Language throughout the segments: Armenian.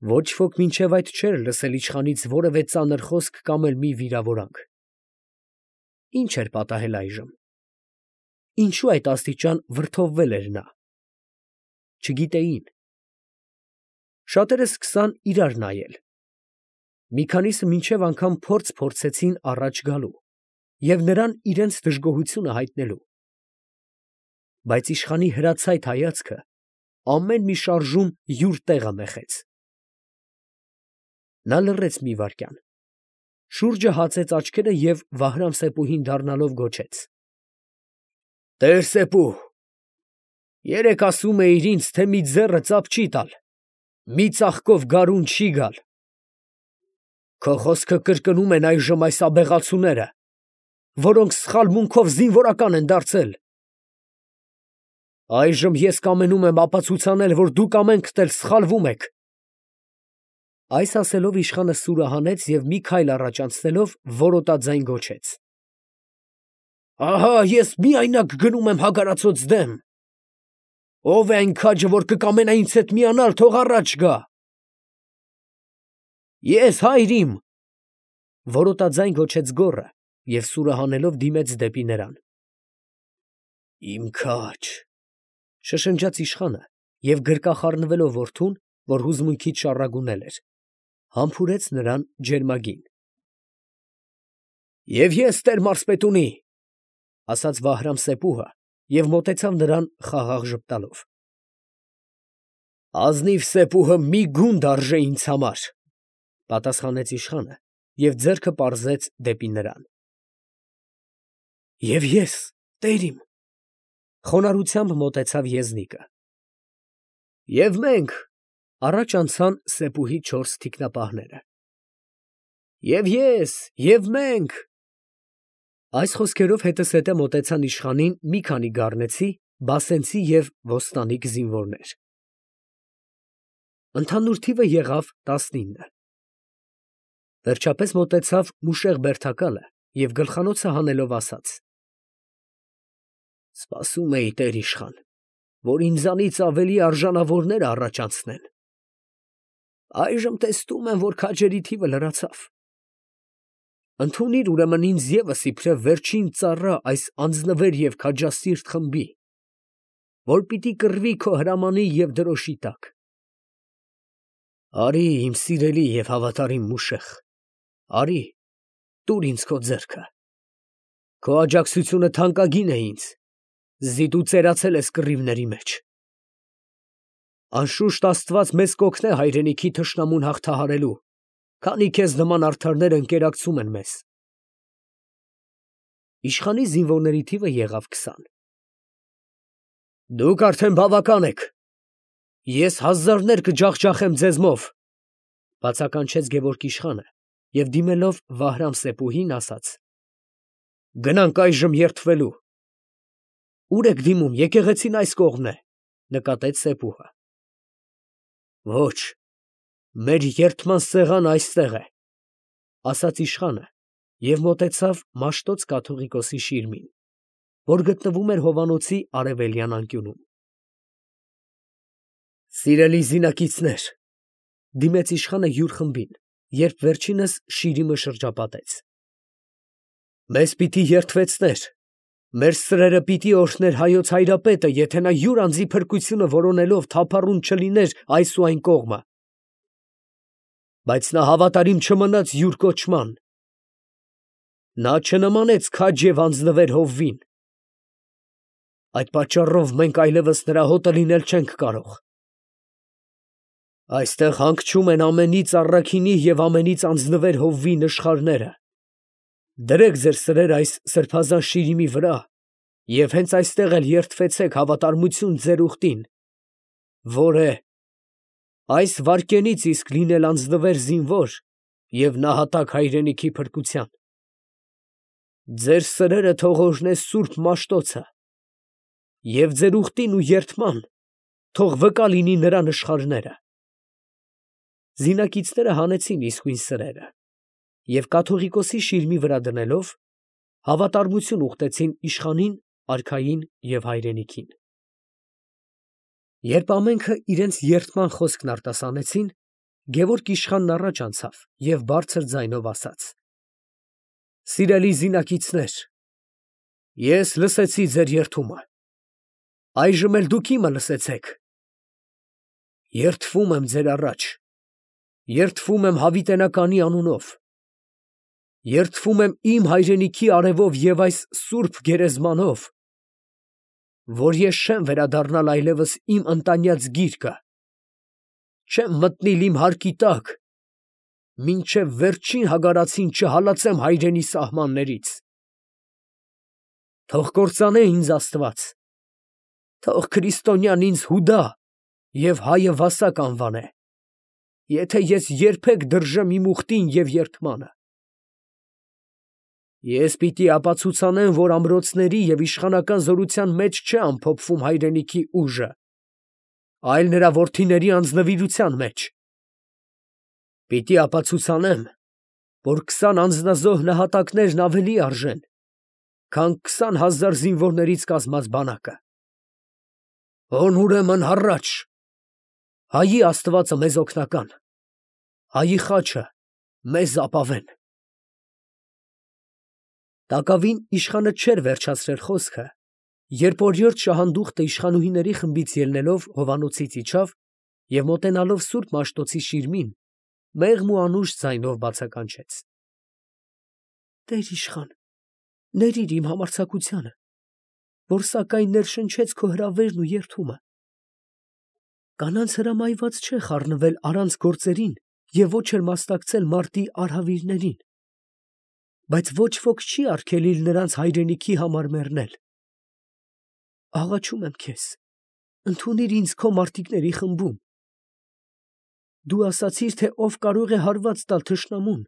Ոչ ոք մինչև այդ չէր լսել իշխանից որևէ ծանր խոսք կամ էլ մի վիրավորանք։ Ինչ էր պատահել այժմ։ Ինչու այդ աստիճան վրդովվել էր նա։ Չգիտեին։ Շատերը սկսան իրար նայել։ Մի քանիսը մինչև անգամ փորձեցին առաջ գալու և նրան իրենց դժգոհությունը հայտնելու։ Բայց իշխանի հրացայտ հայացքը ամեն մի շարժում յուր տեղը մեխեց։ Նա լռեց մի վայրկյան, շուրջը հացեց աչքերը և Վահրամ-Սեփուհին դառնալով գոչեց. «Տեր Սեփու, երեկ ասում էիր ինձ, թե մի ձեռը ծափ չի տալ, մի ծաղկով գարուն չի գալ։ Քո խոսքը կրկնում են այժմ այս աբեղացուները, որոնք սխալմունքով զինվորական են դարձել։ Այժմ ես կամենում եմ ապացուցանել, որ դուք ամենքդ էլ սխալվում եք»։ Այս ասելով իշխանը սուրը հանեց և մի քայլ առաջ անցնելով որոտաձայն գոչեց. «Ահա ես միայնակ գնում եմ հագարացոց դեմ. ով է այն քաջը, որ կկամենա ինձ հետ միանալ, թող առաջ գա»։ «Ես, հայր իմ», որոտաձայն գոչեց գոռը և սուրը հանելով դիմեց դեպի նրան։ «Իմ քաջ», շշնջաց իշխանը և գրկախառնվելով որդուն, որ հուզմունքից շառագունել էր, համբուրեց նրան ջերմագին։ «Եվ ես, տեր մարզպետունի», ասաց Վահրամ֊Սեփուհը և մոտեցավ նրան խաղաղ ժպտալով։ «Ազնիվ Սեփուհը մի գունդ արժե ինձ համար», պատասխանեց իշխանը և ձեռքը պարզեց դեպի նրան։ «Եվ ես, տեր իմ», խոնարհությամբ մոտեցավ եզնիկը։ «Եվ մենք», առաջ անցան Սեփուհի 4 թիկնապահները։ «Եվ ես, և մենք»։ Այս խոսքերով հետզհետե մոտեցան իշխանին մի քանի գառնեցի, բասենցի և ոստանիկ զինվորներ։ Ընդհանուր թիվը եղավ 19։ Վերջապես մոտեցավ մուշեղ բերդակալը և գլխանոցը հանելով ասաց. «Սպասում էի, տեր իշխան, որ ինձանից ավելի արժանավորները առաջ անցնեն։ Այժմ տեսնում եմ, որ քաջերի թիվը լրացավ։ Ընդունիր ուրեմն ինձ ևս իբրև վերջին ծառա այս անձնվեր և քաջասիրտ խմբի, որ պիտի կռվի քո հրամանի և դրոշի տակ։ Արի, իմ սիրելի և հավատարիմ մուշեղ, արի, տուր ինձ քո ձեռքը։ Քո աջակցությունը թանկագին է ինձ, զիդ ու ծերացել ես կռիվների մեջ։ Անշուշտ Աստված մեզ կօգնե հայրենիքի թշնամուն հաղթահարելու, քանի քեզ նման արդարներ ընկերակցում են մեզ։ Իշխանի զինվորների թիվը եղավ 20։ Դուք արդեն բավական եք, ես հազարներ կջախջախեմ ձեզմով, բացականչեց Գևորգ իշխանը և դիմելով Վահրամ-Սեփուհին ասաց. Գնանք այժմ երդվելու։ Ուր եք դիմում, եկեղեցին այս կողմն է, նկատեց Սեփուհը։ Ոչ, մեր երդման սեղանը այստեղ է, ասաց իշխանը և մոտեցավ Մաշտոց կաթողիկոսի շիրմին, որ գտնվում էր հովանոցի արևելյան անկյունում։ Սիրելի զինակիցներ, դիմեց իշխանը յուր խմբին, երբ վերջինս շիրիմը շրջապատեց։ Մեզ պիտի երդվեցներ, մեր սրերը պիտի օրհներ հայոց հայրապետը, եթե նա յուր անձի փրկությունը որոնելով թափառուն չլիներ այս ու այն կողմը։ Բայց նա հավատարիմ չմնաց յուր կոչման։ Նա չնմանեց քաջ և անձնվեր հովվին։ Այդ պատճառով մենք այլևս նրա հոտը լինել չենք կարող։ Այստեղ հանգչում են ամենից առաքինի և ամենից անձնվեր հովվի նշխարները։ Դրեք ձեր սրերը այս սրբազան շիրիմի վրա և հենց այստեղ էլ երդվեցեք հավատարմություն ձեր ուխտին, որ է այս վայրկենից իսկ լինել անձնվեր զինվոր և նահատակ հայրենիքի փրկության։ Ձեր սրերը թող օրհնե սուրբ Մաշտոցը և ձեր ուխտին ու երդման թող վկա լինի նրա նշխարները։ Զինակիցները հանեցին իսկույն սրերը և կաթողիկոսի շիրմի վրա դնելով, հավատարմություն ուխտեցին իշխանին, արքային և հայրենիքին։ Երբ ամենքը իրենց երդման խոսքն արտասանեցին, Գևորգ իշխանն առաջ անցավ և բարձր ձայնով ասաց. «Սիրելի զինակիցներ, ես լսեցի ձեր երդումը, այժմ էլ դուք իմը լսեցեք. երդվում եմ ձեր առաջ, երդվում եմ հավիտենականի անունով, երդվում եմ իմ հայրենիքի արևով և այս սուրբ գերեզմանով, որ ես չեմ վերադառնալ այլևս իմ ընտանյաց գիրկը, չեմ մտնել իմ հարկի տակ, մինչև վերջին հագարացին չհալածեմ հայրենի սահմաններից։ Թող կործանե ինձ Աստված, թող քրիստոնյան ինձ Հուդա և հայը Վասակ անվանե, եթե ես երբեք դրժեմ իմ ուխտին և երդմանը։ Ես պիտի ապացուցանեմ, որ ամրոցների և իշխանական զորության մեջ չէ ամփոփվում հայրենիքի ուժը, այլ նրա որդիների անձնվիրության մեջ։ Պիտի ապացուցանեմ, որ 20 անձնազոհ նահատակներն ավելի արժեն, քան 20,000 զինվորներից կազմած բանակը։ Հոն ուրեմն հառաչ, հայի Աստվածը մեզ օգնական, հայի խաչը մեզ ապավեն»։ Տակավին իշխանը չէր վերջացրել խոսքը, երբ օրիորդ շահանդուխտը իշխանուհիների խմբից ելնելով հովանոցից իջավ և մոտենալով սուրբ Մաշտոցի շիրմին, մեղմ ու անուշ ձայնով բացականչեց. «Տեր իշխան, ներիր իմ համարձակությանը, որ սակայն ներշնչեց քո հրավերն ու երդումը։ Կանանց հրամայված չէ խառնվել առանց գործերին և ոչ էլ մասնակցել մարտի արհավիրներին, բայց ոչ ոք չի արգելիլ նրանց հայրենիքի համար մեռնել։ Աղաչում եմ քեզ, ընդունիր ինձ քո մարտիկների խմբում։ Դու ասացիր, թե ով կարող է հարված տալ թշնամուն,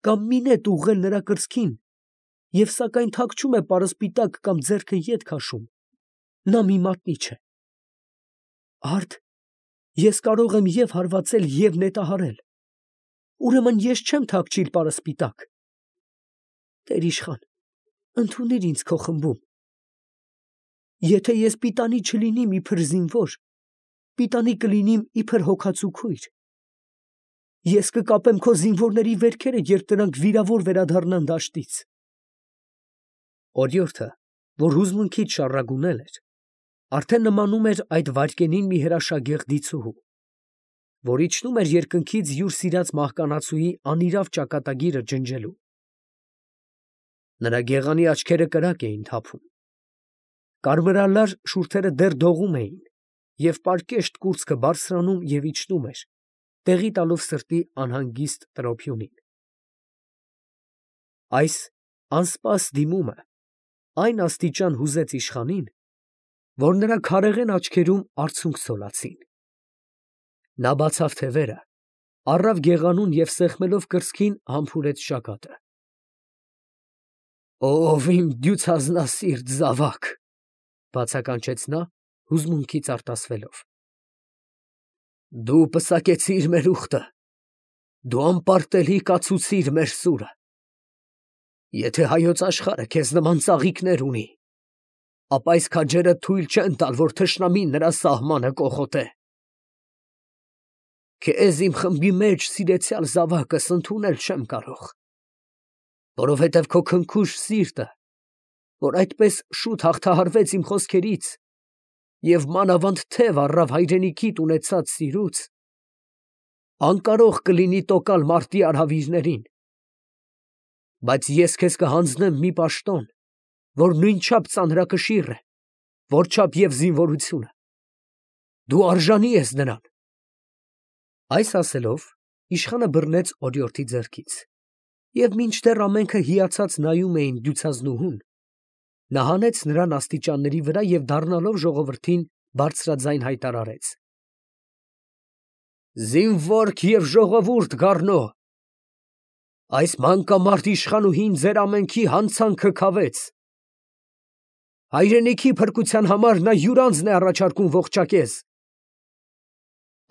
կամ մի նետ ուղղել նրա կրծքին, և սակայն թաքչում է պարսպիտակ կամ ձեռքը ետ քաշում, նա մի մատնիչ է։ Արդ ես կարող եմ և հարվածել, և նետահարել, ուրեմն ես չեմ թաքչիլ պարսպիտակ։ Տեր իշխան, ընդունիր ինձ քո խմբում։ Եթե ես պիտանի չլինիմ իբր զինվոր, պիտանի կլինիմ իբր հոգածու քույր։ Ես կկապեմ քո զինվորների վերքերը, երբ նրանք վիրավոր վերադառնան դաշտից։ Օրիորդը, որ հուզմունքից շառագունել էր, արդեն նմանում էր այդ վայրկենին մի հրաշագեղ դիցուհու, որ իջնում էր երկնքից յուր սիրած մահկանացուի անիրավ ճակատագիրը ջնջելու։ Նրա գեղանի աչքերը կրակ էին թափում, կարմրալար շուրթերը դեռ դողում էին, և պարկեշտ կուրծքը բարձրանում և իջնում էր, տեղի տալով սրտի անհանգիստ տրոփյունին։ Այս անսպաս դիմումը այն աստիճան հուզեց իշխանին, որ նրա քարեղեն աչքերում արցունք ցոլացին։ Նա բացավ թևերը, առավ գեղանուն և սեղմելով կրծքին համբուրեց ճակատը։ «Ով իմ դյուցազնասիրտ զավակ», բացականչեց նա հուզմունքից արտասվելով։ «Դու պսակեցիր մեր ուխտը, դու անպարտելի կացուցիր մեր սուրը։ Եթե հայոց աշխարհը քեզ նման ծաղիկներ ունի, ապա այս քաջերը թույլ չեն տալ, որ թշնամին նրա սահմանը կոխոտե։ Քեզ իմ խմբի մեջ սիրեցյալ զավակս ընդունել չեմ կարող, որովհետև քո քնքուշ սիրտը, որ այդպես շուտ հաղթահարվեց իմ խոսքերից և մանավանդ թև առավ հայրենիքիդ ունեցած սիրուց, անկարող կլինի տոկալ մարտի արհավիրներին։ Բայց ես քեզ կհանձնեմ մի պաշտոն, որ նույնչափ ծանրակշիռ է, որչափ և զինվորությունը։ Դու արժանի ես նրան»։ Այս ասելով, իշխանը բռնեց օրիորդի ձեռքից, և մինչդեռ ամենքը հիացած նայում էին դյուցազնուհուն, նա հանեց նրան աստիճանների վրա և դառնալով ժողովրդին բարձրաձայն հայտարարեց. «Զինվորք և ժողովուրդ գառնո, այս մանկամարտ իշխանուհին ձեր ամենքի հանցանքը քավեց։ Հայրենիքի փրկության համար նա յուր անձն է առաջարկում ողջակեզ։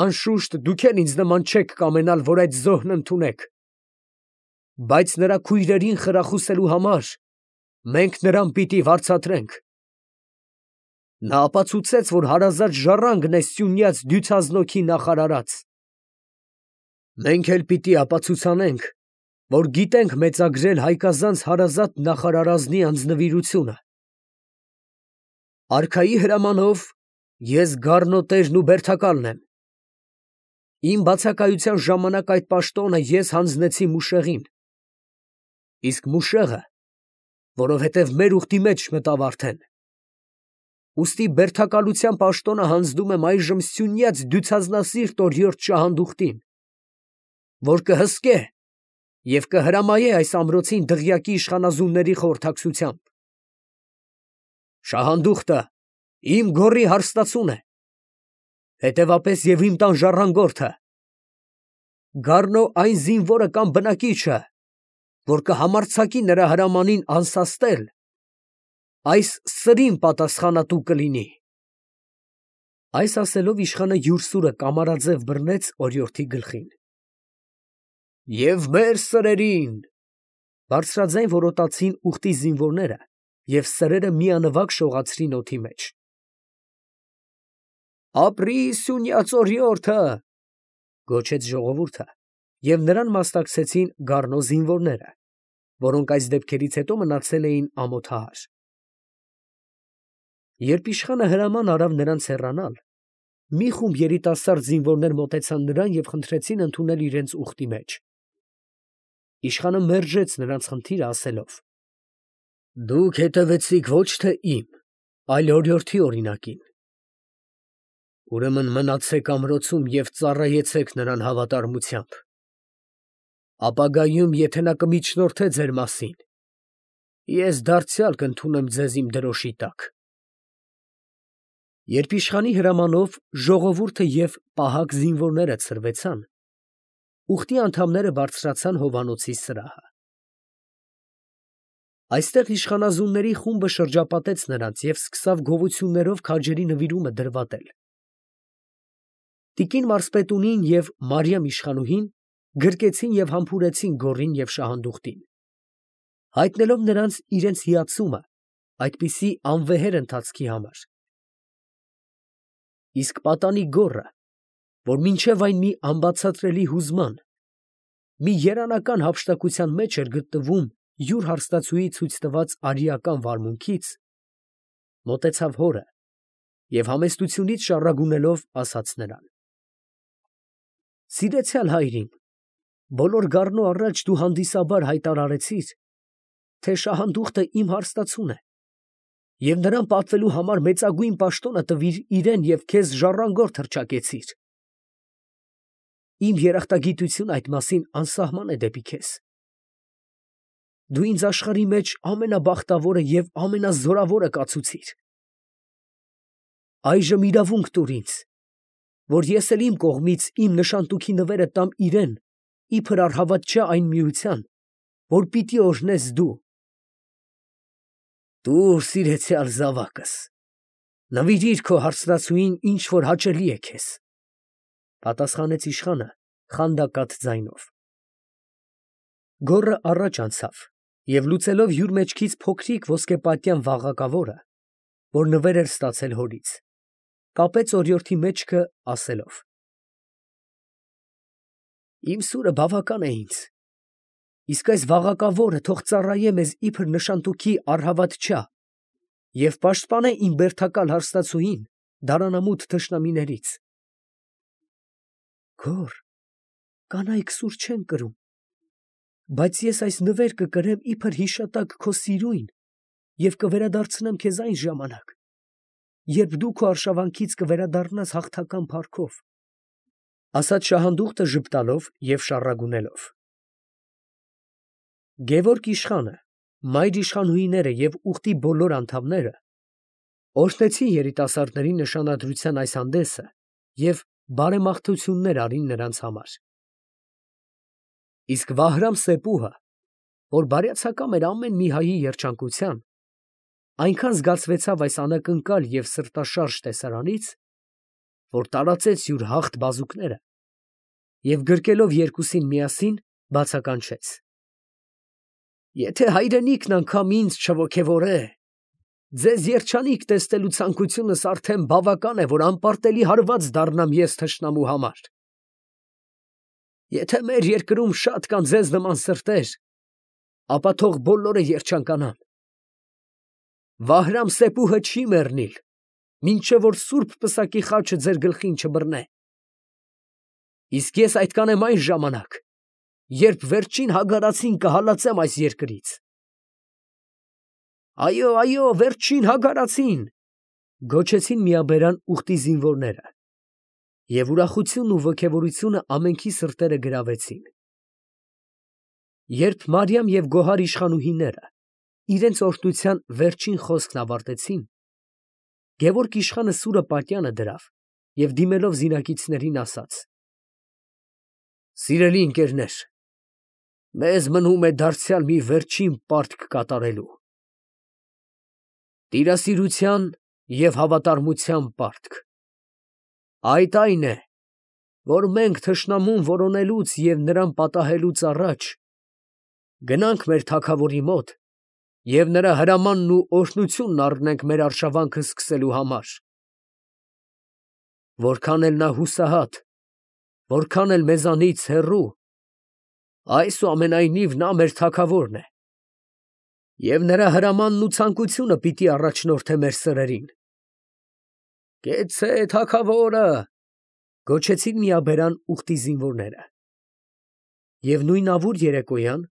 Անշուշտ դուք էլ ինձ նման չեք կամենալ, որ այդ զոհն ընդունեք, բայց նրա քույրերին խրախուսելու համար մենք նրան պիտի վարձատրենք։ Նա ապացուցեց, որ հարազատ ժառանգն է սյունյաց դյուցազնոքի նախարարած։ Մենք էլ պիտի ապացուցանենք, որ գիտենք մեծագրել հայկազանց հարազատ նախարարազնի անձնվիրությունը։ Արքայի հրամանով ես գառնոտերն ու բերդակալն եմ։ Իմ բացակայության ժամանակ այդ պաշտոնը ես հանձնեցի Մուշեղին, իսկ Մուշեղը, որովհետև մեր ուխտի մեջ մտավ արդեն, ուստի բերդակալության պաշտոնը հանձնում եմ այժմ Սյունյաց դյուցազնասիրտ օրիորդ Շահանդուխտին, որ կհսկե և կհրամայե այս ամրոցին դղյակի իշխանազունների խորհրդակցությամբ։ Շահանդուխտը իմ գոռի հարստացուն է, հետևապես և իմ տան ժառանգորդը, գառնո այն զինվորը կամ բնակիչը, որ կհամարձակի նրա հրամանին անսաստել, այս սրին պատասխանատու կլինի։ Այս ասելով իշխանը յուր սուրը կամարաձև բռնեց օրիորդի գլխին։ Եվ մեր սրերին, բարձրաձայն որոտացին ուխտի զինվորները և սրերը միանվագ շողացրին օդի մեջ։ Ապրի Սյունյաց օրիորդը, գոչեց ժողովուրդը, և նրան մասնակցեցին գառնո զինվորները, որոնք այս դեպքերից հետո մնացել էին ամոթահար։ Երբ իշխանը հրաման արավ նրանց հեռանալ, մի խումբ երիտասարդ զինվորներ մոտեցան նրան և խնդրեցին ընդունել իրենց ուխտի մեջ։ Իշխանը մերժեց նրանց խնդիրը, ասելով. Դուք հետևեցիք ոչ թե իմ, այլ օրիորդի օրինակին։ Ուրեմն մնացեք ամրոցում և ծառայեցեք նրան հավատարմությամբ։ Ապագայում, եթե նա կմիջնորդե ձեր մասին, ես դարձյալ կընդունեմ ձեզ իմ դրոշի տակ։ Երբ իշխանի հրամանով ժողովուրդը և պահակ զինվորները ցրվեցան, ուխտի անդամները բարձրացան հովանոցի սրահը։ Այստեղ իշխանազունների խումբը շրջապատեց նրանց և սկսավ գովություններով քաջերի նվիրումը դրվատել։ Տիկին մարզպետունին և Մարիամ իշխանուհին գրկեցին և համբուրեցին գոռին և Շահանդուխտին, հայտնելով նրանց իրենց հիացումը այդպիսի անվեհեր ընթացքի համար։ Իսկ պատանի գոռը, որ մինչև այն մի անբացատրելի հուզման, մի երանական հափշտակության մեջ էր գտնվում յուր հարստացուի ցույց տված արիական վարմունքից, մոտեցավ հորը և համեստությունից շառագունելով ասաց նրան. Սիրեցյալ հայրիկ, բոլոր գառնո առաջ դու հանդիսաբար հայտարարեցիր, թե Շահանդուխտը իմ հարստացուն է, և նրան պատվելու համար մեծագույն պաշտոնը տվիր իրան և քեզ ժառանգորդ հռչակեցիր։ Իմ երախտագիտությունը այդ մասին անսահման է դեպի քեզ։ Դու ինձ աշխարհի մեջ ամենաբախտավորը և ամենազորավորը կացուցիր։ Այժմ իրավունք տուր ինձ, որ ես էլ իմ կողմից իմ նշանտուքի նվերը տամ իրան, իբր առհավատչա այն միության, որ պիտի օրհնես դու։ Տուր, սիրեցյալ զավակս, նվիրիր քո հարստացուին, ինչ որ հաճելի է քեզ, պատասխանեց իշխանը խանդակատ ձայնով։ Գոռը առաջ անցավ և լուծելով յուր մեջքից փոքրիկ ոսկեպատյան վաղակավորը, որ նվեր էր ստացել հորից, կապեց օրիորդի մեջքը, ասելով. Իմ սուրը բավական է ինձ, իսկ այս վաղակավորը թող ծառայե մեզ իբր նշանտուքի առհավատչա և պաշտպանե իմ բերդակալ հարստացուին դարանամութ թշնամիներից։ Գոռ, կանայք սուր չեն կրում, բայց ես այս նվեր կկրեմ իբր հիշատակ քո սիրույն և կվերադարձնեմ քեզ այն ժամանակ, երբ դու քո արշավանքից կվերադառնաս հաղթական փառքով, ասաց Շահանդուխտը ժպտալով և շառագունելով։ Գևորգ իշխանը, մայր իշխանուհիները և ուխտի բոլոր անդամները օրհնեցին երիտասարդների նշանադրության այս հանդեսը և բարեմաղթություններ արին նրանց համար։ Իսկ Վահրամ Սեպուհը, որ բարյացակամ էր ամեն մի հայի երջանկության, այնքան զգացվեցավ այս անակնկալ և սրտաշարժ տեսարանից, որ տարածեց յուր հաղթ բազուկները և գրկելով երկուսին միասին բացականչեց. Եթե հայրենիքն անգամ ինձ չոգևորե, ձեզ երջանիկ տեսնելու ցանկությունս արդեն բավական է, որ անպարտելի հարված դառնամ ես թշնամու համար։ Եթե մեր երկրում շատ կան ձեզ նման սրտեր, ապա թող բոլորը երջանկանան։ Վահրամ-Սեփուհը չի մեռնիլ, մինչև որ սուրբ պսակի խաչը ձեր գլխին չբռնե։ Իսկ ես այդ կանեմ այն ժամանակ, երբ վերջին հագարացին կհալածեմ այս երկրից։ Այո, այո, վերջին հագարացին, գոչեցին միաբերան ուխտի զինվորները, և ուրախությունն ու ոգևորությունը ամենքի սրտերը գրավեցին։ Երբ Մարիամ և Գոհար իշխանուհիները իրենց օրհնության վերջին խոսքն ավարտեցին, Գևորգ իշխանը սուրը պատյանը դրավ և դիմելով զինակիցներին ասաց. «Սիրելի ընկերներ, մեզ մնում է դարձյալ մի վերջին պարտք կատարելու։ Տիրասիրության և հավատարմության պարտք։ Այդ այն է, որ մենք թշնամուն որոնելուց և նրան պատահելուց առաջ գնանք մեր թագավորի մոտ և նրա հրամանն ու օրհնությունն առնենք մեր արշավանքը սկսելու համար։ Որքան էլ նա հուսահատ, որքան էլ մեզանից հեռու, այսուամենայնիվ նա մեր թագավորն է, և նրա հրամանն ու ցանկությունը պիտի առաջնորդե մեր սրերին։ Կեցցե՛, թագավորը, գոչեցին միաբերան ուխտի զինվորները։ Եվ նույնավուր երեկոյան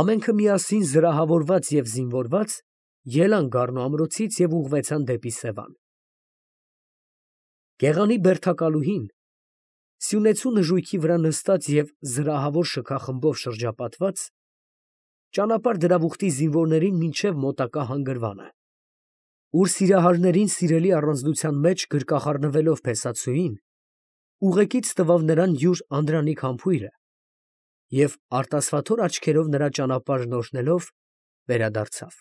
ամենքը միասին զրահավորված և զինվորված ելան Գառնու ամրոցից և ուղղվեցան դեպի Սևան։ Գեղանի բերդակալուհին, սյունեցու նժույգի վրա նստած և զրահավոր շքախմբով շրջապատված, ճանապարհ դրավ ուխտի զինվորներին մինչև մոտակա հանգրվանը, ուր սիրահարներին սիրելի առանձնության մեջ գրկախառնվելով փեսացուին, ուղեկից տվավ նրան յուր անդրանիկ համբույրը և արտասվաթոր աչքերով նրա ճանապարհն օրհնելով, վերադարձավ։